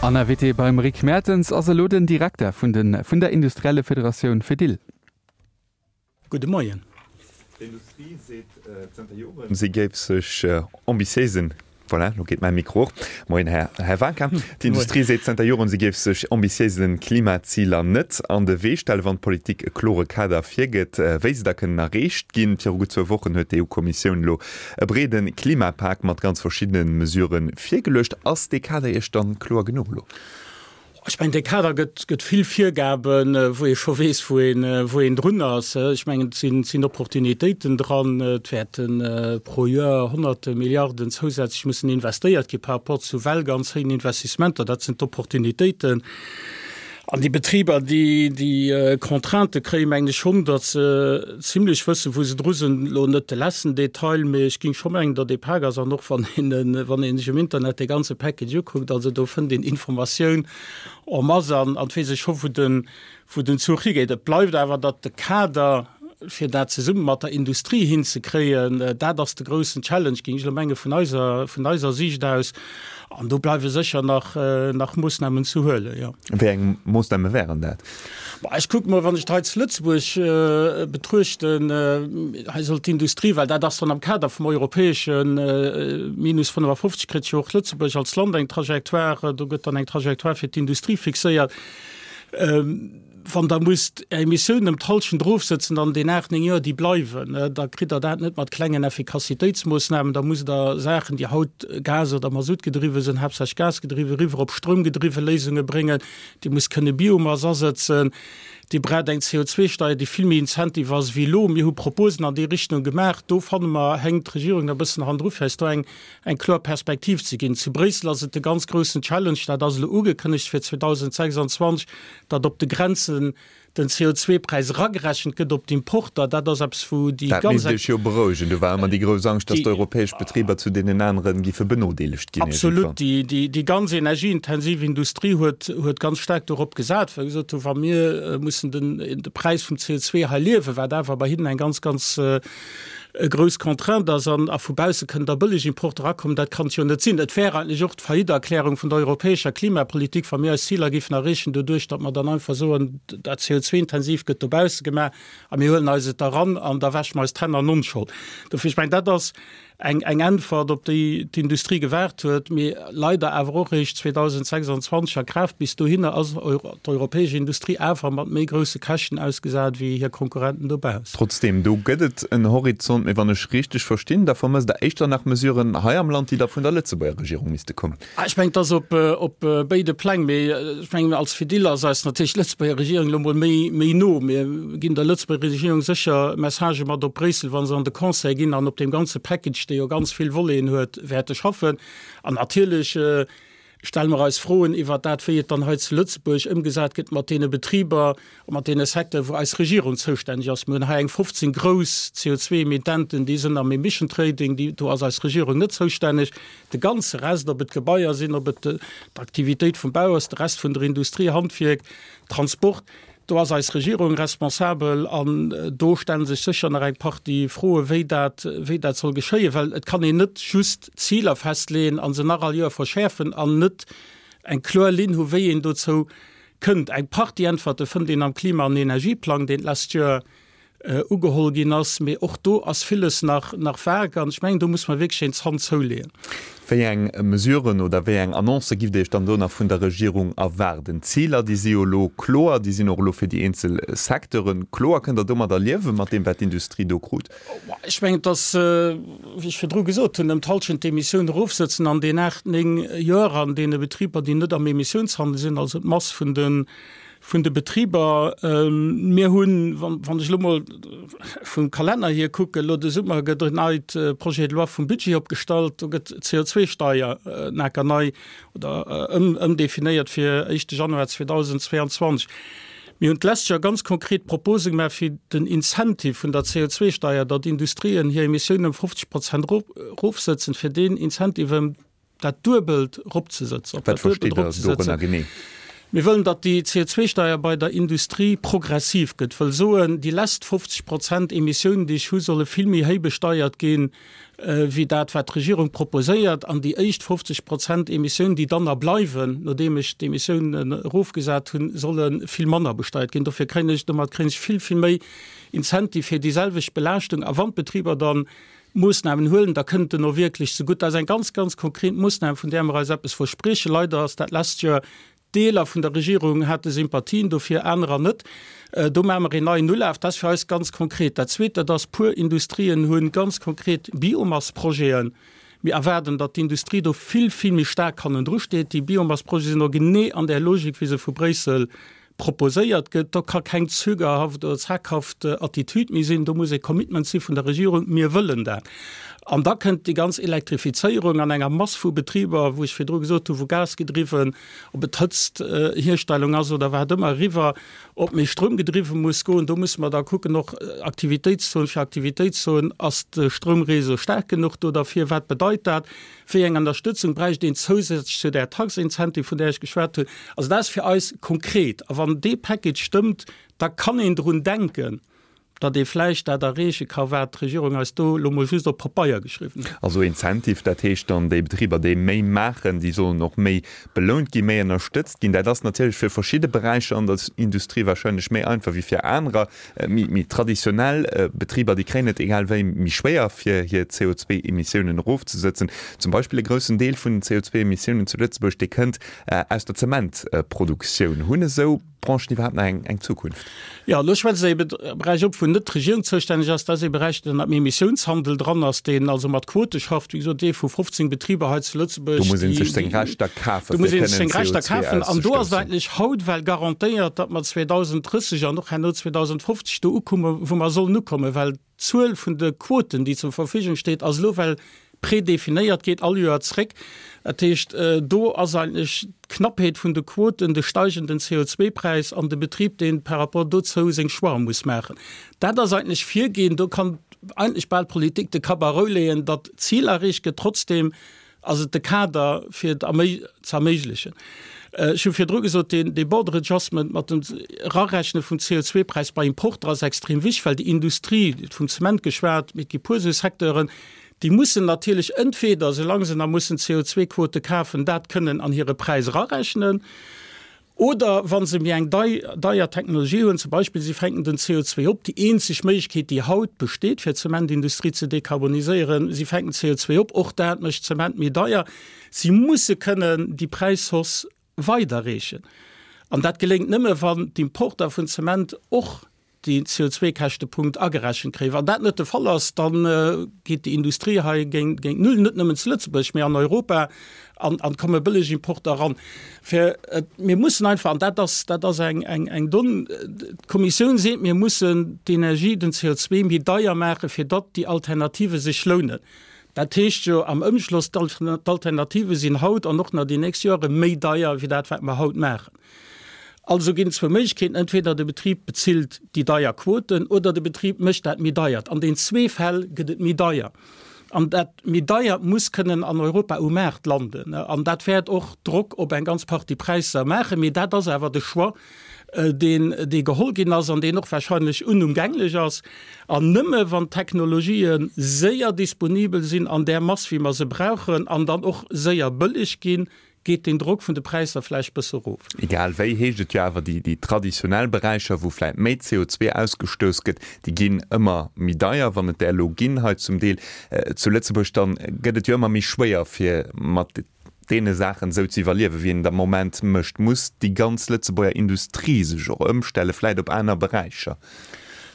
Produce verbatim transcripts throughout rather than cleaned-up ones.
An Invité beim Rick Mertens ass elo den Direkter vun den vun der Industriellefederatioun Fedil. Gudde Moien. D'Industrie seet zënter Joren, si géif sech ambitiéisen, voilà, lo geet mäi Mikro och. Moien, Här, Här Wanka. D'Industrie seet zënter Joren, si géif sech ambitiéisen Klimaziler net an de Wee stellen, wann d'Politik e klore Kader virgëtt, wéi se da kënnen erreecht ginn. Viru gutt zwou Wochen huet d'EU-Kommissioun elo e breede Klimapak mat ganz verschiddene Mesurë virgeluecht. Ass dee Kader Iech dann kloer genuch elo? Ech mengen, dee Kader gëtt, gëtt vill Virgaben, wou ee scho weess, wou een, wou een drun ass. Ech mengen, et sinn, sinn Opportunitéiten dran. Et wäerte pro Joer honnerte Milliarden zousätzlech mussen investéiert gi par rapport zu well ganz héijen Investissementer. Dat sinn d'Opportunitéiten. An déi Betriber, déi déi Contraintë kréien, mengen ech schonn, datt se zimlech wëssen, wou se dru sinn. Elo net de letzten Detail, mee ech géing scho mengen, datt dee Pak ass. An och wann een, wann ee sech um Internet dee ganze Package ukuckt, also do fënnt een Informatioun en masse an et weess ee scho, wou den, wou den Zuch higeet. Et bleift awer, datt de Kader, fir dat zesumme mat der Industrie hinzekréien, dat ass de groussen Challenge, géing ech elo menge vun eiser, vun eiser Siicht aus. An do bleiwe sécher nach, nach Moossnamen ze huelen, jo. Wéi eng Moossname wären dat? Bah, ech kucke mol, wann ech et hei zu Lëtzebuerg betruechten, hei soll d'Industrie, well dat ass dann am Kader vum europäesche Minus fënnefafofzeg, kritt jo och Lëtzebuerg als Land eng Trajectoire, do gëtt dann eng Trajectoire fir d'Industrie fixéiert. Wann Der musst Är Emissiounen ëm d'Hallschent erofsëtzen an den aacht, néng Joer, déi bleiwen, da kritt Der dat net mat klengen Effikassitéitsmoossnamen. Da musst Der Saachen, déi haut gas oder masuttgedriwwe sinn, haaptsächlech gasgedriwwen, eriwwer op stroumgedriwwe Léisunge bréngen. Dir musst kënne Biomass asëtzen. Dir braucht eng C O zwei Steier, déi vill méi incentive ass wéi elo. Mir hu Proposen an déi Richtung gemaach. Do fanne mer, hänkt d'Regierung nach e bëssen hannendru, fir eis do eng eng kloer Perspektiv ze ginn. Zu Bréissel ass et de ganz groussen Challenge, dat ass elo ugekënnegt fir zweedausendsechsundzwanzeg, datt op de Grenzen den C O zwei Präis eragerechent gëtt op d'Importer. Dat ass eppes, wou déi Dat ganz misst Iech jo berouegen. Do war ëmmer déi grouss Angscht, datt d'europäesch Betriber zu deenen anere giffe benodeelegt ginn Absolut. iergendwann. Déi, déi ganz energieintensiv Industrie huet, huet ganz staark dorop gesat, well se gesot hunn, wa mir mussen den, de Präis vum C O zwei hei liewen, wat awer bei hinnen eng ganz, ganz e grouss Contrainte ass an a vu bausse kënnen da bëlleg Importe erakommen, dat kann et jo net sinn. Et wär eigentlech och d'Faillite-Erklärung vun der europäescher Klimapolitik, wa mir eis Ziler géifen erreechen doduerch, datt mer dann einfach soen, dat C O zwei intensiv gëtt dobausse gemaach a mir huelen eis et eran an da wäsche mer eis d'Hänn an Onschold. Dofir, ech mengen, dat ass eng eng Äntwert, op déi d'Industrie gewaart huet, mee leider awer och eréischt zweedausendsechsundzwanzeg a Kraaft. Bis dohinner ass d'europäesch Industrie awer mat méi grousse Käschten ausgesat wéi hir Konkurrenten dobaussen. Trotzdeem, do gëtt et en Horizont. Mee wann ech richteg verstinn, da vermësst Der éischter nach Mesuren hei am Land, déi da vun der Lëtzebuerger Regierung misste kommen. Ech mengen, et ass op op béide Pläng. Mee ech mengen, als Fedil ass eis natierlech d'Lëtzebuerger Regierung elo mol méi méi no. Mir ginn der Lëtzebuerger Regierung sécher Messagë mat op Bréissel, wa se an de Conseil ginn an op deem ganze Package, dee jo ganz vill Voleten huet, wäerte schaffen. An natierlech stelle mer eis Froen iwwert dat, wéi et dann hei zu Lëtzebuerg ëmgesat gëtt mat deene Betriber a mat deene Secteuren, wou eis Regierung zoustänneg ass. Mir hunn hei eng fofzéng grouss C O zwei Emittenten, déi sinn am Emission Trading, déi, do ass eis Regierung net zoustänneg. De ganze Rest, ob et Gebaier sinn, ob et d'Aktivitéit vum Bau ass, de Rest vun der Industrie, Handwierk, Transport, do ass eis Regierung responsabel an do stelle sech sécher nach eng Partie Froen, wéi dat, wéi dat soll geschéien, well et kann een net just Ziler festleeën a se nach all Joer verschäerfen an net eng kloer Linn hu wéi een dozou kënnt. Eng Partie Äntwerte fënnt een am Klima an Energieplang, deen d'lescht Joer ugeholl ginn ass, mee och do ass villes nach, nach vag an ech mengen, do muss mer wierklech een Zant zouleeën. Wéi eng Mesuren oder wéi eng Annoncë giff Dir Iech dann do nach vun der Regierung erwaarden? D'Ziler, déi si jo elo kloer, déi sinn och elo fir déi eenzel Secteure kloer. Kënnt Der domadder liewen, mat deem, wat d'Industrie do krut? Ech mengen, et ass, wéi ech virdru gesot hunn, ëm d'Hallschent d'Emissioun erofsëtzen an deenen aacht, néng Joer an deene Betriber, déi net am Emissiounshandel sinn, also d'Mass vun de vun de Betriber. Mir hunn, wann ech elo mol vum Kalenner hier kucken, elo de Summer gëtt en neit Projet de loi vum Budget opgestallt, do gëtt d'C O zwei Steier naker nei oder ëmdefinéiert fir éischte Januar zweedausendzweianzwanzeg. Mir hunn d'lescht Joer ganz konkret Propose gemaach fir den Incentive vun der C O zwei Steier, datt Industrien hir Emissiounen ëm fofzeg Prozent erofsëtzen, fir deen Incentive ëm dat Duebelt eropzesëtzen, op Wat dat Duebelt versteet Der eropzesëtzen. dorënner genee? Mir wëllen, datt déi C O zwei Steier bei der Industrie progressiv gëtt, wëll soen, déi lescht fofzeg Prozent Emissiounen, déi ech hu, solle vill méi héich besteiert ginn, wéi dat, wat d'Regierung proposéiert, an déi éischt fofzeg Prozent Emissiounen, déi dann nach bleiwen, nodeem ech d'Emissiounen erofgesat hunn, solle vill manner besteiert ginn. Dofir kréien ech, domat kréien ech vill, vill méi Incentive fir déi selwecht Belaaschtung. A wann d'Betriber dann Moossnamen huelen, da kënnt en och wierklech zegutt. Dat ass eng ganz, ganz konkret Moossnam, vun där mer eis eppes verspriechen. Leider ass dat lescht Joer Deeler vun der Regierung hate Sympathien dofir, anerer net. Do maache mer een neien Ulaf. Dat ass fir eis ganz konkret. Dat Zweet, dat ass, puer Industrien hu ganz konkret Biomassprojeten. Mir erwaarden, datt d'Industrie do vill, vill méi staark hannendru steet. Déi Biomassprojete sinn och genee an där Logik, wéi se vu Bréissel proposéiert gëtt. Do ka keng zögerhaft oder zaghaft Attitüd méi sinn. Do muss e Commitment si vun der Regierung, Mir wëllen dat. An da kënnt déi ganz Elektrifizéierung an enger Mass vu Betriber, wou ech virdru gesot hunn, wou Gas gedriwwen, ob et Hëtzthierstellung ass oder wat ëmmer, eriwwer op méi Stroum gedriwwe muss goen. Do musse mer da kucken, och Aktivitéitszon fir Aktivitéitszon, ass de Stroumréseau staark genuch do derfir? Wat bedeit dat? Wéi eng Ënnerstëtzung bräicht een zousätzlech zu där Tax incentive, vun där ech geschwat hunn? Also dat ass fir eis konkret. A wann dee Package stëmmt, da kann een drun denken, datt ee vläicht dat erreeche ka wat d'Regierung eis do elo mol just op Pabeier geschriwwen huet. Also Incentive, dat heescht dann, déi Betriber, déi méi maachen, déi sollen och méi belount ginn, méi ënnerstëtzt ginn. Dat ass natierlech fir verschidde Beräicher an der Industrie wahrscheinlech méi einfach wéi fir anerer. Méi, méi traditionell Betriber, déi kréien et egal wéi méi schwéier, fir hir C O zwei Emissiounen erofzesëtzen. Zum Beispill e groussen Deel vun den C O zwei Emissiounen zu Lëtzebuerg, dee kënnt aus der Zementproduktioun. Hunn esou Branchen iwwerhaapt nach eng, eng Zukunft? Ja, elo schwätze se e Beräich op, wou net d'Regierung zoustänneg ass. Dat ass e Beräich, deen am Emissiounshandel dran ass, deen also mat Quote schafft. Wéi gesot, dee vu fofzéng Betriber hei zu Lëtzebuerg. Do muss ee sech seng Rechter kafen, Do muss ee sech seng Rechter kafen. An do ass et eigentlech haut well garantéiert, datt mer zweedausenddrësseg an och herno zweedausendfofzeg do ukommen, wou mer sollen ukommen, well d'Zuel vun de Quoten, déi zur Verfügung steet, ass elo well prédefinéiert, geet all Joer zréck. Dat heescht, do ass eigentlech d'Knappheet vun de Quoten, de steigenden C O zwei Präis an de Betrib, deen par rapport dozou seng Choix muss maachen. Dat ass eigentlech virgehen, do kann eigentlech bal d'Politik de Kapp a Rou leeën, datt d'Zil erreecht gëtt, trotzdem ass et de Kader fir et ze erméiglechen. Ech hu virdru gesot, deen, dee Border Adjustment mat dem Erarechne vum C O zwei Präis bei Importer ass extrem wichtig, well déi Industrie, vum Zement geschwat, mee et gi puer esou Secteuren, déi mussen natierlech entweder, solange se nach mussen C O zwei Quote kafen, dat kënnen an hire Präis erarechnen, oder wann se méi eng deier Technologie hunn, zum Beispill si fänken den C O zwei op, déi eenzeg Méiglechkeet, déi haut besteet, fir d'Zementindustrie ze dekarboniséieren, si fänken C O zwei op, och dat mécht Zement méi deier. Si musse kënnen déi Präishausse weiderreechen. An dat geléngt nëmme, wann d'Importer vun Zement och déi C O zwei Käschtepunkt agerechent kréien. Wann dat net de Fall ass, dann geet déi Industrie hei géint, géint null, net nëmmen zu Lëtzebuerg, mee an Europa, an, an komme bëlleg Importer ran. Fir, et, mir mussen einfach, an dat ass, dat ass eng, eng, eng Don, d'Kommissioun seet, mir mussen d'Energie, den C O zwei méi deier maachen, fir datt déi Alternative sech lounen. Dat heescht jo am Ëmschloss, d'Alternative sinn haut an och nach déi nächst Jahre méi deier, wéi dat, wat mer haut maachen. Also ginn zwou Méiglechkeeten, entweder de Betrib bezilt déi deier Quoten oder de Betrib mécht dat méi deier. An den zwee Fäll gëtt et méi deier. An dat méi deier muss kënnen an Europa um Maart landen. An dat wäert och Drock op eng ganz Partie Präisser maachen, mee dat ass awer de Choix, deen, dee geholl ginn ass an deen och wahrscheinlech unumgänglech ass. An nëmme wann Technologien séier disponibel sinn an der Mass, wéi mer se brauchen, an dann och séier bëlleg ginn, geet den Drock vun de Präisser vläicht bësse erof. Egal wéi heescht et jo awer, déi, déi traditionell Beräicher, wou vläicht méi C O zwei ausgestouss gëtt, déi ginn ëmmer méi deier, wann et der elo ginn hei zum Deel, äh, zu Lëtzebuerg, dann gëtt et jo ëmmer méi schwéier, fir mat deene Saachen esou ze iwwerliewen, wéi een am Moment mécht. Muss déi ganz Lëtzebuerger Industrie sech och ëmstelle, vläicht op aner Beräicher?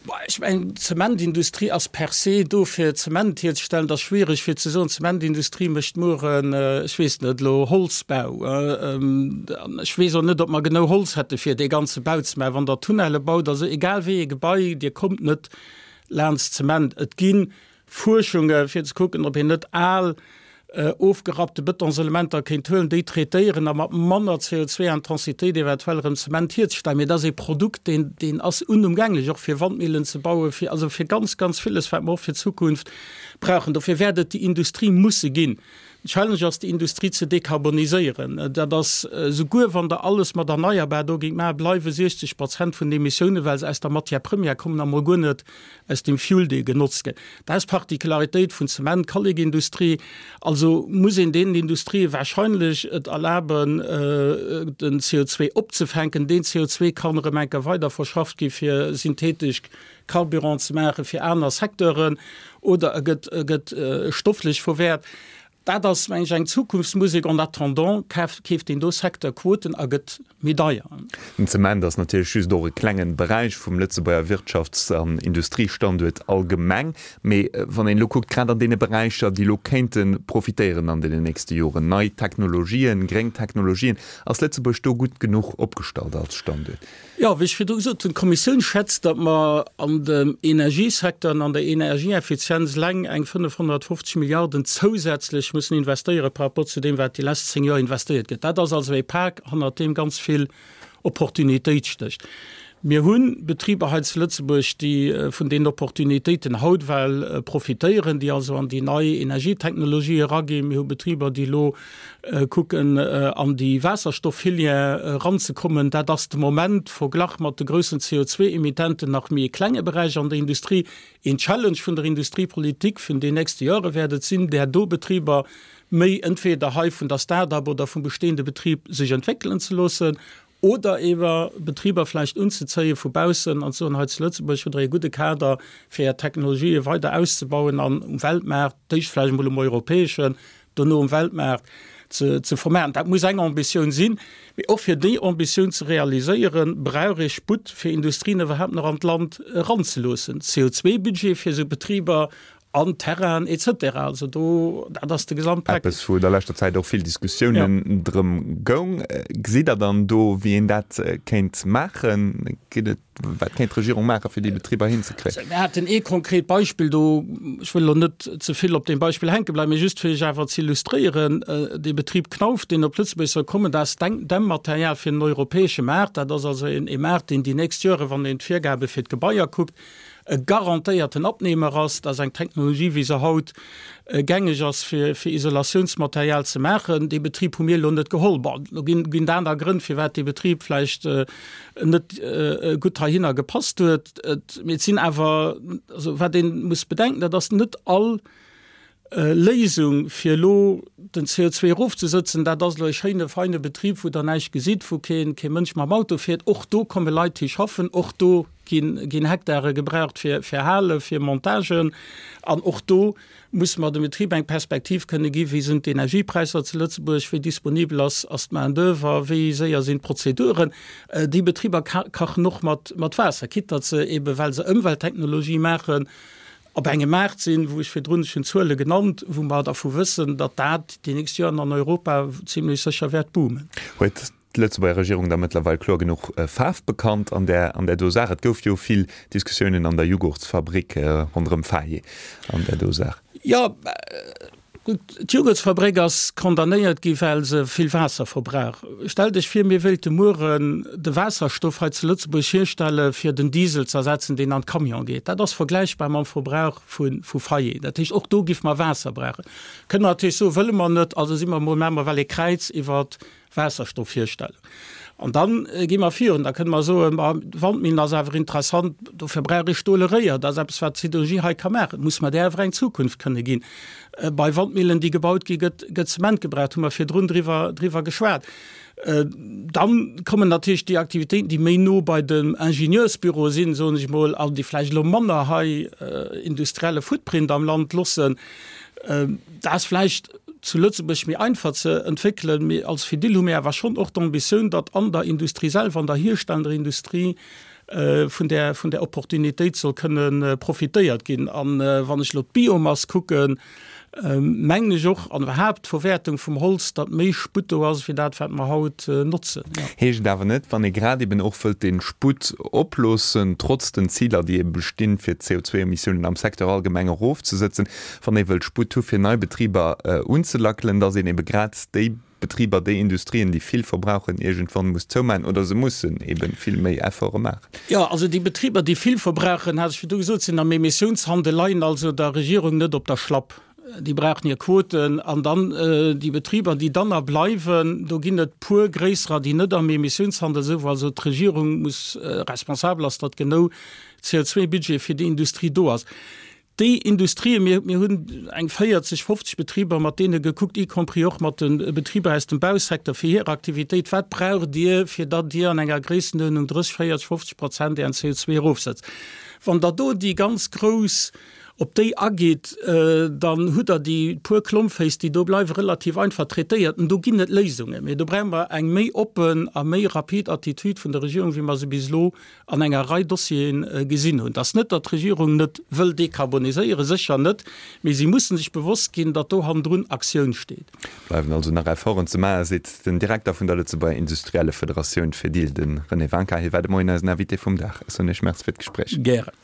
Boah, ech mein, d'Zementindustrie ass per se do fir Zement herzustellen, das ist schwierig fir ze soen, d'Zementindustrie mécht mueren, äh, ech weess net, lo Holzbau. Äh, ähm, ech weess och net, ob mer genau Holz hätte fir dee ganze Bau ze maachen. Wann der Tunnele baut, also egal wéi e Gebai, dir kommt net laanscht Zement. Et ginn Fuerschunge fir ze kucken, ob een net al, äh, ofgerappte Betonselementer kéint huelen, déi traitéieren a mat manner C O zwei Intensitéit eventuell erëm Zement herzustellen. Mee dat ass e Produkt, deen, deen ass unumgänglech, och fir Wandmillen ze bauen, fir, also fir ganz, ganz vieles, wat mer och fir d'Zukunft brauchen. Dofir wäert et déi Industrie musse ginn. Den Challenge ass, déi Industrie ze dekarboniséieren. Dat ass, souguer wann Der alles mat erneierbar do géingt maachen, bleiwe siechzeg Prozent vun den Emissiounen, well se aus der Matière première kommen a mol guer net aus dem Fuel, dee genotzt gëtt. Dat ass d'Particularitéit vun Zement-, Kallekindustrie. Also muss een deenen Industrië wahrscheinlech et erlaben, den C O zwee opzefänken. Deen C O zwee kann erëm eng Kéier weiderverschafft gi fir synthetesch Carburant ze maachen fir aner Secteuren oder e gëtt, e gëtt stofflech verwäert. Dat ass, meng ech, eng Zukunftsmusek. En attendant kaf, keeft een do Secteur Quoten a gëtt méi deier. Den Zement ass natierlech just och e klengen Beräich vum Lëtzebuerger Wirtschafts an Industriestanduert allgemeng. Mee wann een elo kuckt, grad an deene Beräicher, déi elo kéinte profitéieren an deenen nächste Joren, nei Technologien, gréng Technologien, ass Lëtzebuerg do gutt genuch opgestallt als Standuert? Jo, wéi ech virdru gesot hunn, d'Kommissioun schätzt, datt mer an dem Energiesecteur an an der Energieeffizienz eleng eng fënnefhonnertfofzeg Milliarden zousätzlech mussen investéiere par rapport zu deem, wat déi lescht zéng Joer investéiert gëtt. Dat ass also e Pak, hannert deem ganz vill Opportunitéit stécht. Mir hu Betriber hei zu Lëtzebuerg, déi vun deenen Opportunitéiten haut well profitéieren, déi also an déi nei Energietechnologie eraginn. Mir hu Betriber, déi elo kucken, an déi Waasserstofffilière eranzekommen. Dat ass de Moment, verglach mat de groussen C O zwei Emittenten, nach méi e klenge Beräich an der Industrie. Een Challenge vun der Industriepolitik vun den nächste Jahre wäert et sinn, där do Betriber méi entweder hei vun der Start-up oder vum bestehende Betrib sech entwéckelen ze loossen, oder ewer Betriber vläicht unzezéie vu baussen an ze soen, hei zu Lëtzebuerg hutt Der e gudde Kader, fir Är Technologië weider auszebauen an um Weltmaart, d'éischt vläicht emol um europäeschen, dono um Weltmaart ze, ze vermaarten. Dat muss eng Ambitioun sinn. Mee och fir déi Ambitioun ze realiséieren, brauch ee Sputt, fir Industrien iwwerhaapt nach an d'Land eranzeloossen. C O zwei Budget fir esou Betriber an Terrain et cetera. Also do, dat ass de Gesamtpack. Eppes, wou der leschter Zäit och vill Diskussiounen ja. drëm goung. Gesitt Der dann do, wéi een dat kéint maachen? Geet et, wat kéint d'Regierung maachen, fir déi Betriber hinzekréien? Also, mir haten ee konkret Beispill do, ech wëll elo net ze vill op deem Beispill hänke bleiwen, mee just fir Iech awer ze illustréieren, dee Betrib Knauf, deen op Lëtzebuerg soll kommen, dat ass Dämmmaterial fir den europäesche Maart. Dat ass also een, ee Maart, deen déi nächst Jore, wann een d'Virgabe fir d'Gebaier kuckt, e garantéierten Abnehmer ass. Dat ass eng Technologie, wéi se haut gängeg ass, fir, fir Isolatiounsmaterial ze maachen. Dee Betrib hu mir elo net geholl. Bon, lo ginn, ginn et aner Grënn, firwat dee Betrib vläicht net gutt heihinner gepasst huet. Et, mee et sinn awer, also wat ee muss bedenken, dat ass net all Léisung, fir elo den C O zwei erofzesëtzen, dat ass elo e schéine, feine Betrib, wou Der näischt gesitt, wou keen, kee Mënsch mam Auto fiert. Och do komme Leit hi schaffen, och do ginn, ginn Hektare gebraucht fir, fir Hale, fir Montagen. An och do muss mer dem Betrib eng Perspektiv kënne ginn, wéi sinn d'Energiepräisser zu Lëtzebuerg, wéi disponibel ass, ass d'Main-d'oeuvre, wéi séier sinn d'Prozeduren. Déi Betriber kachen och mat, mat Waasser, quitte datt se eben, well se Ëmwelttechnologie maachen, op engem Maart sinn, wou ech virdrun schon Zuele genannt, wou mer dervu wëssen, datt dat déi nächst Joren an Europa zimmlech sécher wäert boomen. Huet d'Lëtzebuerger Regierung da mëttlerweil kloer genuch Faarf bekannt an där, an där do Saach? Et gouf jo vill Diskussiounen an der Jughurtsfabrik ronderëm Faye an där do Saach. Jo, gutt, d'Jughurtsfabrik ass condamnéiert gi well se vill Waasser verbrauch. Stellt Iech vir, mir wéilte mueren de Waasserstoff hei zu Lëtzebuerg hierstelle fir den Diesel ze ersetzen, deen an d'Camion geet. Dat ass vergläichbar mam Verbrauch vu, vu Faye. Dat heescht, och do giff mer Waasser brauchen. Kënne mer natierlech soen, wëlle mer net, also si mer mol, maache mer well ee Kräiz iwwert Waasserstoff hierstellen. An dann gi mer virun, da kënne mer soen, ma Wandmillen ass awer interessant, dofir brauch ee stole Réier, dat ass eppes, wat d'Siderurgie hei ka maachen, muss mer där awer eng Zukunft kënne ginn. Bei Wandmillen, déi gebaut gi, gëtt, gëtt Zement gebraucht, hu mer virdrun driwwer, driwwer geschwat. Dann kommen natierlech déi Aktivitéiten, déi méi no bei dem Ingenieursbüro sinn, soen ech mol, an déi vläicht elo manner hei industrielle Footprint am Land loossen. Dat ass vläicht zu Lëtzebuerg méi einfach ze entwéckelen, mee als Fedil hu mir awer schonn och d'Ambitioun, datt an der Industrie selwer, an der hierstellender Industrie, vun där, vun där Opportunitéit soll kënne profitéiert ginn. An wann ech elo d'Biomass kucken, mengen ech och, an iwwerhaapt d'Verwäertung vum Holz, datt méi Sputt do ass, wéi dat, wat mer haut notzen. Ja. Heescht et awer net, wann ee grad eben och wëllt dee Sputt oploossen, trotz den Ziler, déi ebe bestinn, fir d'C O zwei Emissiounen am Secteur allgemeng erofzesëtzen, wann ee wëllt Sputt hu fir nei Betriber unzelackelen, datt een ebe grad déi Betriber, déi Industrien, déi vill verbrauchen, iergendwann muss zoumaachen oder se mussen eben vill méi Efforte maachen. Ja, also déi Betriber, déi vill verbrauchen, hat ech virdu gesot, sinn am Emissiounshandel, leien also der Regierung net op der Schlapp. Déi brauchen hir Quoten. An dann déi Betriber, déi dann nach bleiwen, do ginn et puer gréisserer, déi net am Emissiounshandel sinn, wou also d'Regierung muss responsabel ass, datt genou C O zwei Budget fir déi Industrie do ass. Déi Industrien, mir, mir hunn eng véierzeg, fofzeg Betriber mat deene gekuckt, y compris och mat de Betriber aus dem Bausecteur fir hir Aktivitéit, wat braucht Dir, fir datt Dir an enger Gréissenuerdnung drësseg, véierzeg, fofzeg Prozent Ären C O zwei erofsetzt. Wann Der do déi ganz grouss op déi ageet, dann hutt Der déi puer Klompféiss, déi do bleiwen, relativ einfach traitéiert. An do ginn et Léisungen. Mee do brauche mer eng méi oppen a méi rapid Attitude vun der Regierung, wéi mer se bis elo an enger Rei Dossieren gesinn hunn. Et ass net, datt d'Regierung net wëll dekarboniséieren, sécher net, mee si mussen sech bewosst ginn, datt do hannendrun Aktioun steet. Bleiwen also nach Efforten ze maachen, seet den Direkter vun der Lëtzebuerger Industrielle Federatioun Fedil, de René Wanka. Hie war de Moien eisen Invité vum Dag. Ech soen Iech Merci fir d'Gespréich. Gären.